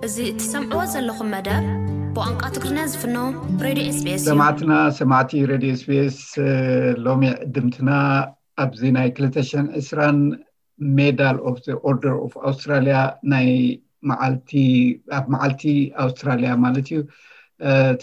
እዚ እትሰምዕዎ ዘለኹም መደብ ብቋንቋ ትግርኛ ዝፍኖ ሬድዮ ኤስቢኤስ እዩ። ሰማዕትና ሰማዕቲ ሬድዮ ኤስቢኤስ፣ ሎሚ ዕድምትና ኣብዚ ናይ ክልተ ሽሕን ዕስራን ሜዳል ኦፍ ኦርደር ኦፍ ኣውስትራሊያ ናይ መዓልቲ ኣብ መዓልቲ ኣውስትራሊያ ማለት እዩ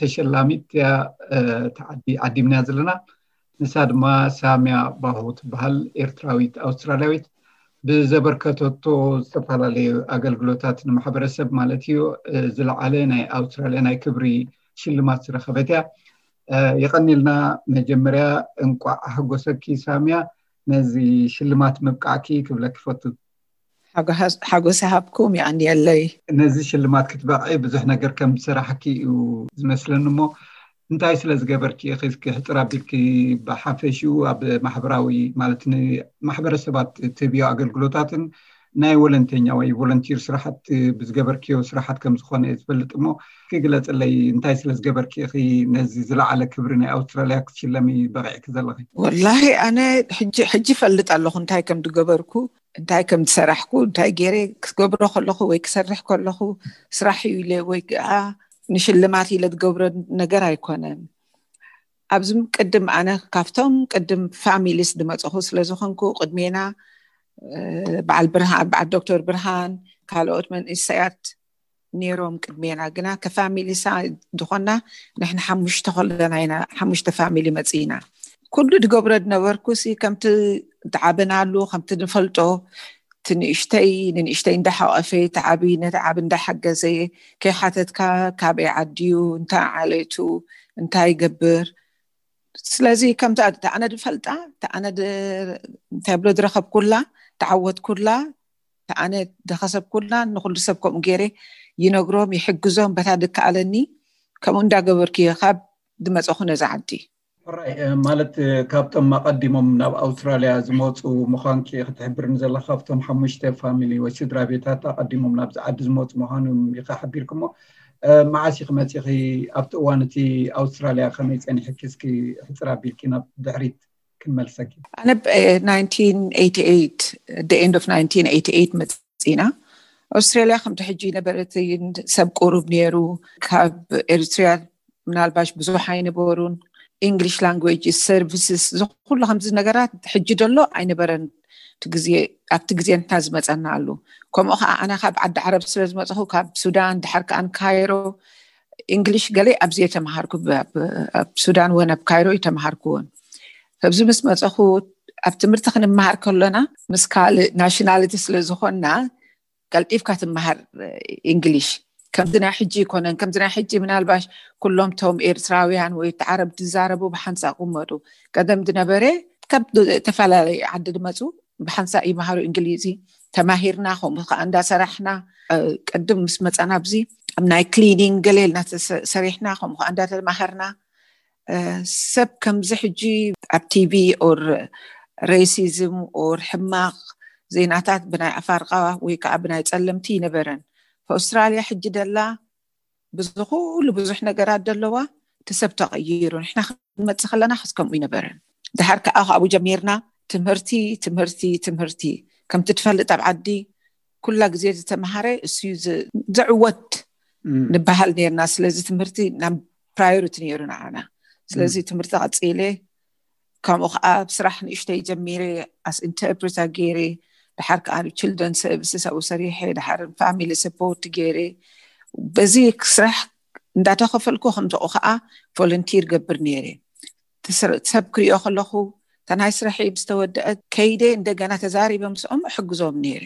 ተሸላሚት እያ። ዓዲምና ዘለና ንሳ ድማ ሳሚያ ባሁ ትበሃል፣ ኤርትራዊት ኣውስትራሊያዊት። ብዘበርከተቶ ዝተፈላለዩ ኣገልግሎታት ንማሕበረሰብ ማለት እዩ ዝለዓለ ናይ ኣውስትራሊያ ናይ ክብሪ ሽልማት ዝረኸበት እያ። የቐኒልና። መጀመርያ እንቋዕ ኣሕጎሰኪ ሳሚያ፣ ነዚ ሽልማት ምብቃዕኪ ክብለኪ ፈቱ። ሓጎስ ሃብኩም፣ የቐንየለይ። ነዚ ሽልማት ክትበቕዒ ብዙሕ ነገር ከም ዝሰራሕኪ እዩ ዝመስለኒ። እሞ እንታይ ስለ ዝገበርኪ ኢኺ? እስኪ ሕፅር ኣቢልኪ ብሓፈሽኡ ኣብ ማሕበራዊ ማለት ንማሕበረሰባት ትህብዮ ኣገልግሎታትን ናይ ወለንተኛ ወይ ቮለንቲር ስራሓት ብዝገበርክዮ ስራሓት ከም ዝኾነ እየ ዝፈልጥ። እሞ እስኪ ግለፅለይ፣ እንታይ ስለ ዝገበርኪ ኢኺ ነዚ ዝለዓለ ክብሪ ናይ ኣውስትራሊያ ክትሽለሚ በቒዕኪ ዘለኺ? ወላሂ ኣነ ሕጂ ሕጂ እፈልጥ ኣለኹ እንታይ ከም ዝገበርኩ፣ እንታይ ከም ዝሰራሕኩ፣ እንታይ ገይረ ክገብሮ ከለኹ ወይ ክሰርሕ ከለኹ ስራሕ እዩ ኢለ ወይ ከዓ ንሽልማት ኢለ ዝገብሮ ነገር ኣይኮነን። ኣብዚ ቅድም ኣነ ካብቶም ቅድም ፋሚሊስ ዝመፀኹ ስለ ዝኾንኩ ቅድሜና በዓል ብርሃን በዓል ዶክተር ብርሃን ካልኦት መንእሰያት ነይሮም ቅድሜና፣ ግና ከፋሚሊ ሳ ዝኾና ንሕና ሓሙሽተ ከለና ኢና ሓሙሽተ ፋሚሊ መፂና። ኩሉ ዝገብሮ ዝነበርኩ ሲ ከምቲ ዝዓበናሉ ከምቲ ንፈልጦ ትንእሽተይ ንንእሽተይ እንዳሓቐፈ ተዓቢ ነቲ ዓቢ እንዳሓገዘ ከይሓተትካ ካበይ ዓድዩ እንታይ ዓሌቱ እንታይ ይገብር። ስለዚ ከምቲ ኣነ ዝፈልጣ ኣነ እንታይ ብሎ ዝረኸብኩላ ተዓወትኩላ ኣነ ደኸሰብኩላ ንኩሉ ሰብ ከምኡ ገይረ ይነግሮም ይሕግዞም በታ ድከኣለኒ ከምኡ እንዳገበርኩ እየ ካብ ዝመፀኹ ነዛ ዓዲ። ሕራይ ማለት ካብቶም ኣቐዲሞም ናብ ኣውስትራልያ ዝመፁ ምዃንኪ ክትሕብርኒ ዘለካ ካብቶም ሓሙሽተ ፋሚሊ ወይ ስድራ ቤታት ኣቐዲሞም ናብዚ ዓዲ ዝመፁ ምዃኖም ኢኻ ሓቢርክሞ። መዓስ ኢኺ መፂኺ? ኣብቲ እዋን እቲ ኣውስትራልያ ከመይ ፀኒሕኪ? እስኪ ሕፅር ኣቢልኪ ናብ ድሕሪት ክንመልሰኪ። ኣነ the end of nineteen eighty eight መፂና። ኣውስትራልያ ከምቲ ሕጂ ነበረትን ሰብ ቁሩብ ነይሩ። ካብ ኤርትርያ ምናልባሽ ብዙሕ ኣይነበሩን። English language services ዝኩሉ ከምዚ ነገራት ሕጂ ደሎ ኣይነበረን። እቲ ግዜ ኣብቲ ግዜ ንሕና ዝመፀና ኣሉ። ከምኡ ከዓ ኣነ ካብ ዓዲ ዓረብ ስለ ዝመፅኹ ካብ ሱዳን ድሓር ከኣን ካይሮ እንግሊሽ ገለ ኣብዚ እየ ተምሃርኩ። ኣብ ሱዳን ወን ኣብ ካይሮ እዩ ተምሃርኩዎን። ኣብዚ ምስ መፀኹ ኣብ ትምህርቲ ክንመሃር ከሎና ምስ ካልእ ናሽናሊቲ ስለ ዝኾንና ቀልጢፍካ ትመሃር እንግሊሽ። ከምዚ ናይ ሕጂ ይኮነን። ከምዚ ናይ ሕጂ ምናልባሽ ኩሎም ቶም ኤርትራውያን ወይ ዓረብ ዝዛረቡ ብሓንሳእ ቅመጡ። ቀደም ዝነበረ ካብ ዝተፈላለዩ ዓዲ ዝመፁ ብሓንሳእ ይመሃሩ እንግሊዚ። ተማሂርና ከምኡ ከዓ እንዳሰራሕና ቅድም ምስ መፃና ኣብዚ ኣብ ናይ ክሊኒንግ ገለ ኢልና ሰሪሕና ከምኡ ከዓ እንዳተማሃርና ሰብ ከምዚ ሕጂ ኣብ ቲቪ ኦር ሬሲዝም ኦር ሕማቕ ዜናታት ብናይ ኣፋርቃ ወይ ከዓ ብናይ ፀለምቲ ይነበረን። ኣውስትራልያ ሕጂ ደላ ብዝኩሉ ብዙሕ ነገራት ደለዋ እቲ ሰብ ተቐይሩ። ንሕና ክንመፅእ ከለና ከስ ከምኡ ይነበረን። ድሓር ከዓ ካብኡ ጀሚርና ትምህርቲ ትምህርቲ ትምህርቲ። ከምቲ ትፈልጥ ኣብ ዓዲ ኩላ ግዜ ዝተምሃረ እሱ ዘዕወት ንበሃል ነርና። ስለዚ ትምህርቲ ናብ ፕራዮሪቲ ነይሩ ንዓና። ስለዚ ትምህርቲ ቀፂለ ከምኡ ከዓ ኣብ ስራሕ ንእሽተይ ጀሚረ ኣስ ኢንተርፕሬተር ገይረ ድሓር ከዓ ብ ችልድረን ሰርቪስስ ኣብኡ ሰሪሐ ድሓር ፋሚሊ ሰፖርት ገይረ በዚ ስራሕ እንዳተኸፈልኩ ከምዝቑ ከዓ ቮለንቲር ገብር ነይረ። ሰብ ክሪኦ ከለኹ እታ ናይ ስራሐይ ምስ ተወደአት ከይደ እንደገና ተዛሪበ ምስኦም እሕግዞም ነይረ።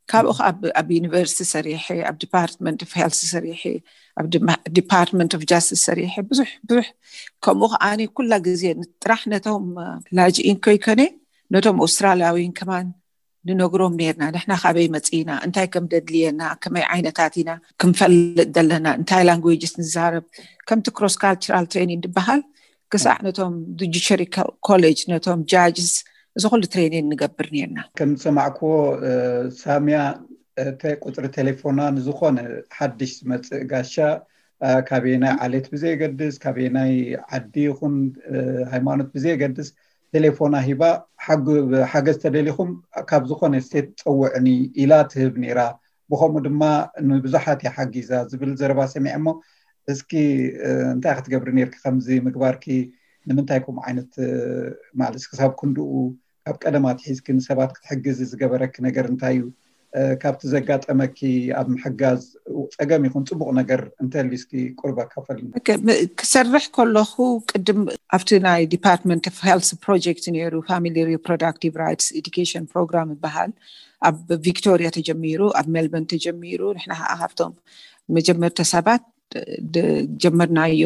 ካብኡ ከዓ ኣብ ዩኒቨርሲቲ ሰሪሐ ኣብ ዲፓርትመንት ኦፍ ሄልት ሰሪሐ ኣብ ዲፓርትመንት ኦፍ ጃስቲስ ሰሪሐ ብዙሕ ብዙሕ ከምኡ ከዓ ኩላ ግዜ ጥራሕ ነቶም ላጅኢን ከይኮነ ነቶም ኣውስትራልያዊን ከማን ንነግሮም ነርና። ንሕና ካበይ መፂና እንታይ ከም ደድልየና ከመይ ዓይነታት ኢና ክንፈልጥ ዘለና እንታይ ላንጉጅስ ንዛረብ ከምቲ ክሮስ ካልቸራል ትሬኒንግ ዝበሃል ክሳዕ ነቶም ጁዲሸሪ ኮሌጅ ነቶም ጃጅስ እዚ ኩሉ ትሬኒንግ ንገብር ነርና። ከም ዝሰማዕክዎ ሳሚያ ቁፅሪ ቴሌፎና ንዝኾነ ሓድሽ ዝመፅእ ጋሻ ካበየናይ ዓሌት ብዘየገድስ ካበየናይ ዓዲ ይኹን ሃይማኖት ብዘየገድስ ቴሌፎና ሂባ ሓገዝ ተደሊኹም ካብ ዝኾነ ስቴት ፀውዕኒ ኢላ ትህብ ነይራ። ብኸምኡ ድማ ንብዙሓት እያ ሓጊዛ ዝብል ዘረባ ሰሚዐ። እሞ እስኪ እንታይ ክትገብሪ ነርኪ ከምዚ ምግባርኪ? ንምንታይ ከምኡ ዓይነት ማለት ክሳብ ክንድኡ ካብ ቀደም ኣትሒዝኪ ንሰባት ክትሕግዚ ዝገበረኪ ነገር እንታይ እዩ? ካብቲ ዘጋጠመኪ ኣብ ምሕጋዝ ጸገም ይኹን ጽቡቕ ነገር እንተልዩ እስኪ ቁርብ ኣካፈልኒ። ክሰርሕ ከለኹ ቅድም ኣብቲ ናይ Department of Health project ነይሩ፣ Family Reproductive Rights Education Program ይበሃል። ኣብ ቪክቶሪያ ተጀሚሩ፣ ኣብ ሜልበርን ተጀሚሩ። ንሕና ከዓ ካብቶም መጀመርታ ሰባት ጀመርናዮ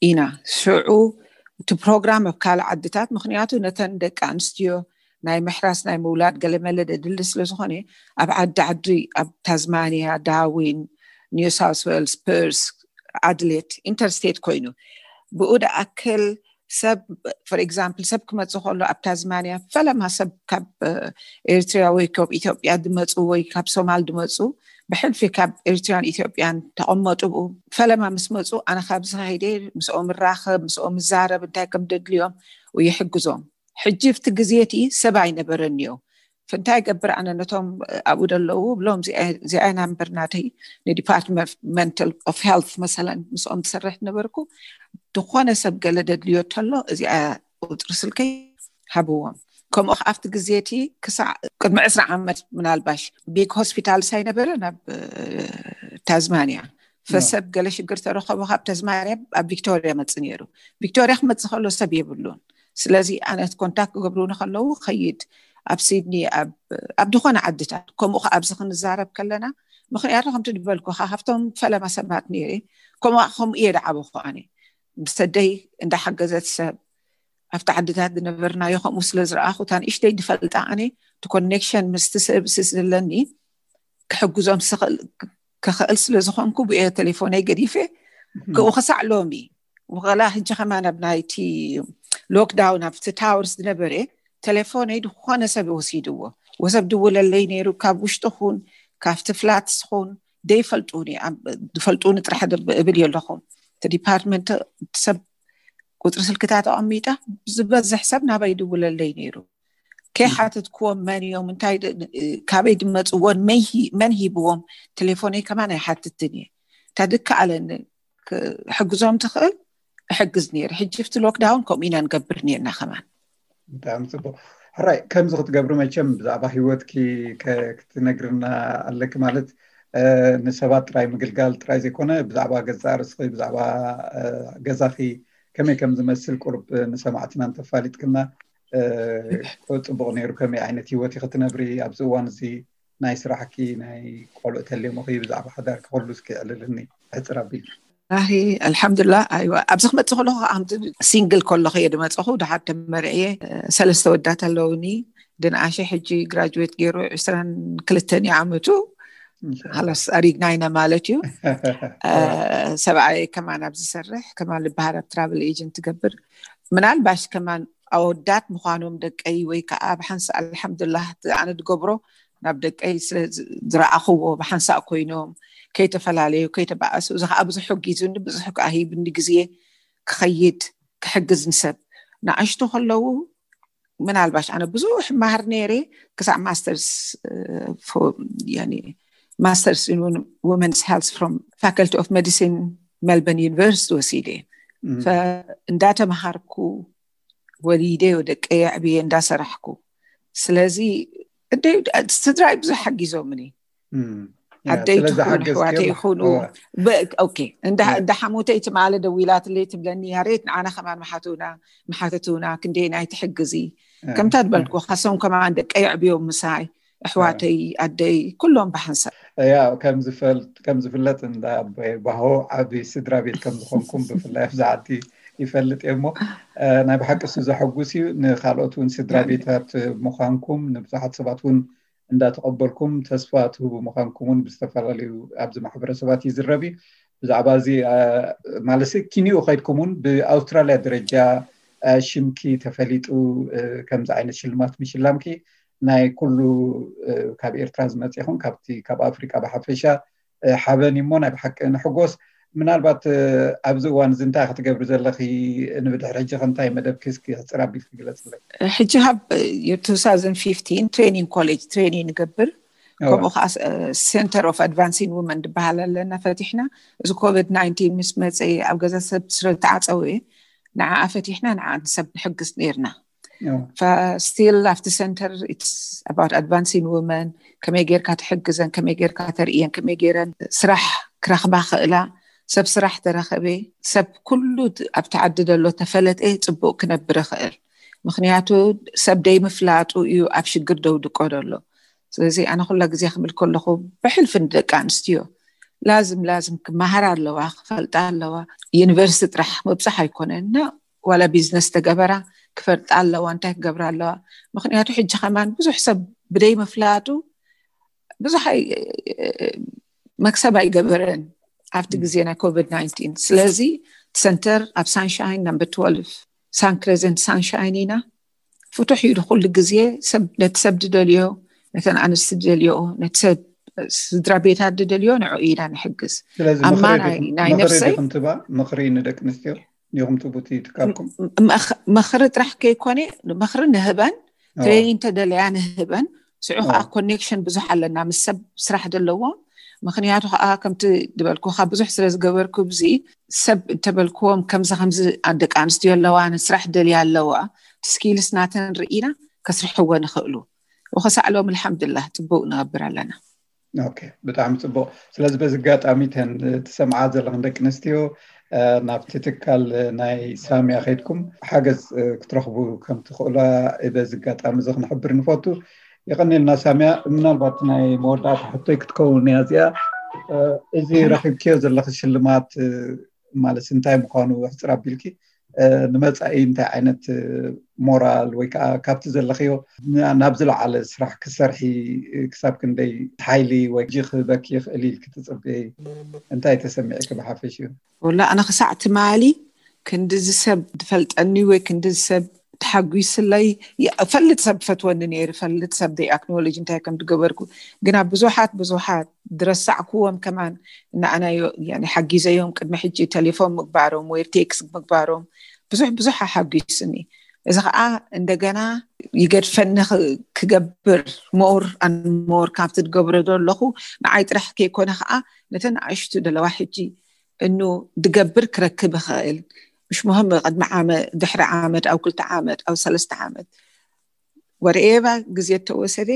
ኢና። ሽዑ እቲ ፕሮግራም ኣብ ካልእ ዓድታት፣ ምኽንያቱ ነተን ደቂ ኣንስትዮ ናይ ምሕራስ ናይ ምውላድ ገለመለ ደድሊ ስለ ዝኾነ፣ ኣብ ዓዲ ዓዲ፣ ኣብ ታዝማንያ፣ ዳርዊን፣ ኒው ሳውስ ዌልስ፣ ፐርስ፣ ኣድሌድ፣ ኢንተርስቴት ኮይኑ፣ ብኡ ደኣክል ሰብ፣ for example፣ ሰብ ክመጽእ ከሎ ኣብ ታዝማንያ ፈለማ ሰብ ካብ ኤርትራ ወይ ካብ ኢትዮጵያ ድመጹ ወይ ካብ ሶማል ድመጹ፣ ብሕልፊ ካብ ኤርትራን ኢትዮጵያን ተቐመጡ። ብኡ ፈለማ ምስ መጹ፣ ኣነ ካብዚ ከይደ ምስኦም እራኸብ፣ ምስኦም እዛረብ፣ እንታይ ከም ደድልዮም ይሕግዞም። ሕጂ ኣብቲ ግዜ እቲ ሰብ ኣይነበረንዮ። እንታይ ገብር ኣነ ነቶም ኣብኡ ደለዉ ብሎም፣ እዚኣ ኢና እምበር ናተይ ንዲፓርትመንት ኦፍ ሄልት መሰለን ምስኦም ትሰርሕ ነበርኩ። ዝኾነ ሰብ ገለ ደድልዮ ተሎ እዚኣ ቁፅሪ ስልከይ ሃብዎም። ከምኡ ኣብቲ ግዜ እቲ ክሳዕ ቅድሚ ዕስራ ዓመት ምናልባሽ ቢግ ሆስፒታልስ ኣይነበረን ኣብ ታዝማንያ። ፈሰብ ገለ ሽግር ተረኸቦ ካብ ተዝማርያ ኣብ ቪክቶርያ መጽእ ነይሩ። ቪክቶርያ ክመጽእ ከሎ ሰብ የብሉን። ስለዚ ኣነ ኮንታክት ክገብሩኒ ከለዉ ኸይድ ኣብ ሲድኒ ኣብ ዝኾነ ዓድታት። ከምኡ ከ ኣብዚ ክንዛረብ ከለና፣ ምኽንያቱ ከምቲ ዝበልኩኻ ካብቶም ፈለማ ሰባት ነይረ። ከምኡ ከምኡ እየ ደዓበኹ ኣነ። ምስ ኣደይ እንዳሓገዘት ሰብ ኣብቲ ዓድታት ዝነበርናዮ ከምኡ ስለ ዝረኣኹ፣ እታ ንእሽተይ ዝፈልጣ ኣነ እቲ ኮኔክሽን ምስቲ ሰብ ስስ ዘለኒ ክሕግዞም ክኽእል ስለ ዝኾንኩ ብየ ቴሌፎነይ ገዲፈ ክኡ ክሳዕ ሎሚ። ወላ ሕጂ ከማን ኣብ ናይቲ ሎክዳውን ኣብቲ ታወርስ ዝነበረ ቴሌፎነይ ዝኾነ ሰብ ወሲድዎ። ወሰብ ድውለለይ ነይሩ፣ ካብ ውሽጢ ኹን ካብቲ ፍላትስ ኹን ደይፈልጡኒ፣ ዝፈልጡኒ ጥራሕ እብል የለኹም። እቲ ዲፓርትመንት ሰብ ቁፅሪ ስልክታት ኣቐሚጣ ዝበዝሕ ሰብ ናባይ ድውለለይ ነይሩ። ከይሓተትክዎም መን እዮም፣ እንታይ ካበይ ድመፅዎን መን ሂብዎም ቴሌፎነይ ከማን ኣይሓትትን እየ። እንታ ድከኣለኒ ክሕግዞም ትኽእል እሕግዝ ነይረ። ሕጂ ብቲ ሎክዳውን ከምኡ ኢና ንገብር ነርና ከማን። ብጣዕሚ ፅቡቅ። ሕራይ ከምዚ ክትገብሪ መቸም ብዛዕባ ሂወትኪ ክትነግርና ኣለኪ። ማለት ንሰባት ጥራይ ምግልጋል ጥራይ ዘይኮነ ብዛዕባ ገዛ ርእስኺ፣ ብዛዕባ ገዛኺ ከመይ ከም ዝመስል ቁርብ ንሰማዕትና እንተፋሊጥክና ጽቡቕ ነይሩ። ከመይ ዓይነት ሂወት ኢኺ ትነብሪ ኣብዚ እዋን እዚ? ናይ ስራሕኪ፣ ናይ ቆልዑ ተልዮምኺ፣ ብዛዕባ ሓዳርኪ ኩሉ እስኪ ዕልልኒ ሕጽር ኣቢልኪ። ራሂ ኣልሓምዱላ። ኣይዋ ኣብዚ ክመጽእ ከለኹ ከምዚ ሲንግል ከለኹ እየ ድመጽኹ። ድሓር ተመርዕየ ሰለስተ ወዳት ኣለውኒ። ድንኣሸ ሕጂ ግራጅዌት ገይሩ ዕስራን ክልተን እዩ ዓመቱ። ሃላስ ኣሪግና ኢና ማለት እዩ። ሰብኣይ ከማን ኣብ ዝሰርሕ ከማን ልበሃር ኣብ ትራቭል ኤጀንት ትገብር። ምናልባሽ ከማን ኣወዳት ምዃኖም ደቀይ ወይ ከዓ ብሓንሳ ኣልሓምዱላህ ኣነ ድገብሮ ናብ ደቀይ ስለ ዝረኣኽዎ ብሓንሳእ ኮይኖም ከይተፈላለዩ ከይተባኣሱ፣ እዚ ከዓ ብዙሕ ሕጊዙኒ፣ ብዙሕ ከዓ ሂብኒ ግዜ ክኸይድ ክሕግዝ ንሰብ ንኣሽቱ ከለዉ ምናልባሽ ኣነ ብዙሕ ማሃር ነይረ ክሳዕ ማስተርስ ማስተርስ ውመንስ ሄልስ ፍሮም ፋካልቲ ኦፍ ሜዲሲን ሜልበርን ዩኒቨርሲቲ ወሲደ እንዳተምሃርኩ ወሊደ ደቀየ ዕብየ እንዳሰራሕኩ። ስለዚ ስድራይ ብዙሕ ሓጊዞምኒ። ኣደይ ትኹን ኣሕዋተይ ይኹኑ እንዳሓሙተይ ትማለ ደዊላትለይ ትብለኒ ያሬት ንዓና ከማን መሓቱና መሓተቱና ክንደይ ናይ ትሕግዚ ከምታ ዝበልኩ ካሶም ከማን ደቀይ ዕብዮም ምሳይ ኣሕዋተይ ኣደይ ኩሎም ብሓንሳብ። ያ ከም ዝፍለጥ እንዳ ኣቦይ ባሆ ዓቢ ስድራ ቤት ከም ዝኾንኩም ብፍላይ ኣብዚ ዓዲ ይፈልጥ እየ። እሞ ናይ ብሓቂ እሱ ዘሐጉስ እዩ። ንካልኦት እውን ስድራ ቤታት ምዃንኩም ንብዙሓት ሰባት እውን እንዳተቐበልኩም ተስፋ ትህቡ ምዃንኩም እውን ብዝተፈላለዩ ኣብዚ ማሕበረሰባት ይዝረብ እዩ። ብዛዕባ እዚ ማለት ኪንኡ ከይድኩም እውን ብኣውስትራልያ ደረጃ ሽምኪ ተፈሊጡ ከምዚ ዓይነት ሽልማት ምሽላምኪ ናይ ኩሉ ካብ ኤርትራ ዝመጽ ይኹን ካብቲ ካብ ኣፍሪቃ ብሓፈሻ ሓበን እሞ ናይ ብሓቂ ንሕጎስ። ምናልባት ኣብዚ እዋን እዚ እንታይ ክትገብሪ ዘለኺ? ንብድሕሪ ሕጂ ከ እንታይ መደብኪ እስኪ ሕፅር ኣቢልኪ ግለፅለይ። ሕጂ ካብ two thousand fifteen ትሬኒንግ ኮሌጅ ትሬኒንግ ንገብር ከምኡ ከዓ Center of Advancing Women ዝበሃል ኣለና ፈቲሕና። እዚ ኮቪድ ናይንቲን ምስ መፀ ኣብ ገዛ ሰብ ስለ ዝተዓፀወ ንዓ ፈቲሕና ንዓ ሰብ ንሕግዝ ነርና። Still ኣብቲ center it's about advancing women፣ ከመይ ጌርካ ትሕግዘን፣ ከመይ ጌርካ ተርእየን፣ ከመይ ጌረን ስራሕ ክረኽባ ክእላ፣ ሰብ ስራሕ ተረኸበ፣ ሰብ ኩሉ ኣብቲ ዓዲ ዘሎ ተፈለጠ ፅቡቅ ክነብር ይኽእል። ምክንያቱ ሰብ ደይ ምፍላጡ እዩ ኣብ ሽግር ደውድቆ ዘሎ። ስለዚ ኣነ ኩላ ግዜ ክብል ከለኹ ብሕልፊ ንደቂ ኣንስትዮ ላዝም ላዝም ክመሃራ ኣለዋ፣ ክፈልጣ ኣለዋ። ዩኒቨርሲቲ ጥራሕ ምብፃሕ ኣይኮነን እና ዋላ ቢዝነስ ተገበራ ክፈልጣ ኣለዋ፣ እንታይ ክገብራ ኣለዋ። ምክንያቱ ሕጂ ከማን ብዙሕ ሰብ ብደይ ምፍላጡ ብዙሕ ኣይ- መክሰብ ኣይገበረን ኣብቲ ግዜ ናይ ኮቪድ ናይንቲን። ስለዚ ሰንተር ኣብ ሳንሻይን number twelve ሳን ክሬዘንት ሳንሻይን ኢና። ፍቱሕ እዩ ኩሉ ግዜ ሰብ ነቲ ሰብ ዝደልዮ፣ ነተን ኣንስቲ ዝደልዮ፣ ነቲ ሰብ ስድራ ቤታት ዝደልዮ ንዑ ኢና ንሕግዝ። ስለዚ ኣማ ምኽሪ ናይ ዲኹም- ናይ ምኽሪ ነፍሰይ ዲኹም ትባ ምኽሪ ንደቂ ኣንስትዮ ዲኹም ትቡ እቲ ትካልኩም? መኽ- ምኽሪ ጥራሕ ከይኮነ ምኽሪ ንህበን፣ ኦ፣ ትሬኒንግ ተደለያ ንህበን። ስዑ ከዓ ኦ፣ ኮኔክሽን ብዙሕ ኣለና ምስ ሰብ ስራሕ ዘለዎም። ምክንያቱ ከዓ ከምቲ ዝበልኩካ ብዙሕ ስለ ዝገበርኩ ብዚ ሰብ እንተበልክዎም ከምዚ ከምዚ ደቂ ኣንስትዮ ኣለዋ ንስራሕ ደልያ ኣለዋ ስኪልስ ናተን ርኢና ከስርሕዎ ንኽእሉ ወኸሳዕሎም ኣልሓምዱላህ ፅቡቅ ንገብር ኣለና። ኦኬ፣ ብጣዕሚ ፅቡቅ። ስለዚ በዚ ኣጋጣሚ ተን ትሰምዓ ዘለኽን ደቂ ኣንስትዮ እ፣ ናብቲ ትካል ናይ ሳሚያ ከይድኩም ሓገዝ እ፣ ክትረኽቡ ከም ትኽእሉ በዚ ኣጋጣሚ እዚ ክንሕብር ንፈቱ። የቐንየልና ሳሚያ። ምናልባት ናይ መወዳእታ ሕቶይ ክትከውን እያ እዚኣ። እ፣ እዚ ረኺብክዮ ዘለኺ ሽልማት እ፣ ማለት እንታይ ምዃኑ ሕፅር ኣቢልኪ እ፣ ንመፃኢ እንታይ ዓይነት እ፣ ሞራል ወይ ከዓ ካብቲ ዘለኽዮ ና- ናብ ዝለዓለ ስራሕ ክሰርሒ እ፣ ክሳብ ክንደይ ሓይሊ ወይ ክበኪ ይኽእል ኢልኪ ትፅበይ? እንታይ ተሰሚዕኪ ብሓፈሽኡ? ወላ ኣነ ክሳዕ ትማሊ ክንድዚ ሰብ ዝፈልጠኒ ወይ ክንድዚ ሰብ ተሓጒስለይ። ፈልጥ ሰብ ፈትወኒ ነይሩ፣ ፈልጥ ሰብ ደይ ኣክኖሎጅ እንታይ ከም ዝገበርኩ። ግና ብዙሓት ብዙሓት ዝረሳዕክዎም ከማን እናኣናዮ ያኒ ሓጊዘዮም። ቅድሚ ሕጂ ቴሌፎን ምግባሮም ወይ ቴክስት ምግባሮም ብዙሕ ብዙሕ ኣሓጒስኒ። እዚ ከዓ እንደገና ይገድፈኒ ክ- ክገብር ሞር ኣን ሞር ካብቲ ዝገብሮ ዘለኹ ንዓይ ጥራሕ ከይኮነ ከዓ ነተን ኣሽቱ ደለዋ ሕጂ እኑ ድገብር ክረክብ ይኽእል። ምሽ ሙህም ቅድሚ ዓመት ድሕሪ ዓመት ኣብ ክልተ ዓመት ኣብ ሰለስተ ዓመት ወርኤባ ግዜ እተወሰደ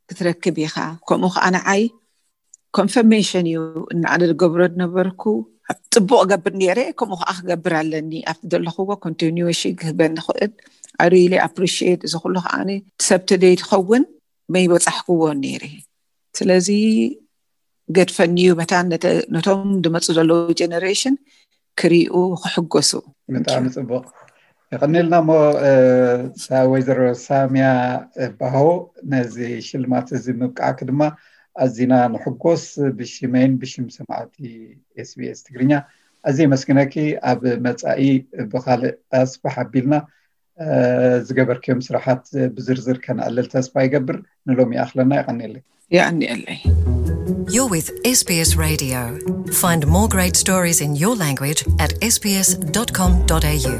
ክትረክብ ኢኻ። ከምኡ ከዓ ንዓይ ኮንፈርሜሽን እዩ። እናኣነ ዝገብሮ ዝነበርኩ ፅቡቅ ገብር ነይረ፣ ከምኡ ከዓ ክገብር ኣለኒ ኣብቲ ዘለኽዎ ኮንቲኒዌሽን ክህበኒ ክእል። ኣሪሊ ኣፕሪሽት እዚ ኩሉ ከዓ ሰብ ተደይ ትኸውን መይበፃሕክዎ ነይረ። ስለዚ ገድፈኒ እዩ በታ ነተ- ነቶም ዝመፁ ዘለዉ ጀነሬሽን ክሪኡ ክሕጎሱ። ብጣዕሚ ፅቡቅ። የቐኒልና እሞ እ፣ ሳ- ወይዘሮ ሳሚያ እ፣ ባሆ ነዚ ሽልማት እዚ ምብቃዕኪ ድማ ኣዚና ንሕጎስ። ብሽመይን ብሽም ሰማዕቲ ኤስቢኤስ ትግርኛ ኣዝየ መስግነኪ። ኣብ መፃኢ ብካልእ ኣስፍሕ ኣቢልና እ፣ ዝገበርክዮም ስራሓት ብዝርዝር ከነዕልል ተስፋ ይገብር። ንሎሚ ይኣኽለና። የቐኒለይ። የቐኒየለይ። You're with S B S Radio. Find more great stories in your language at S B S dot com dot A U.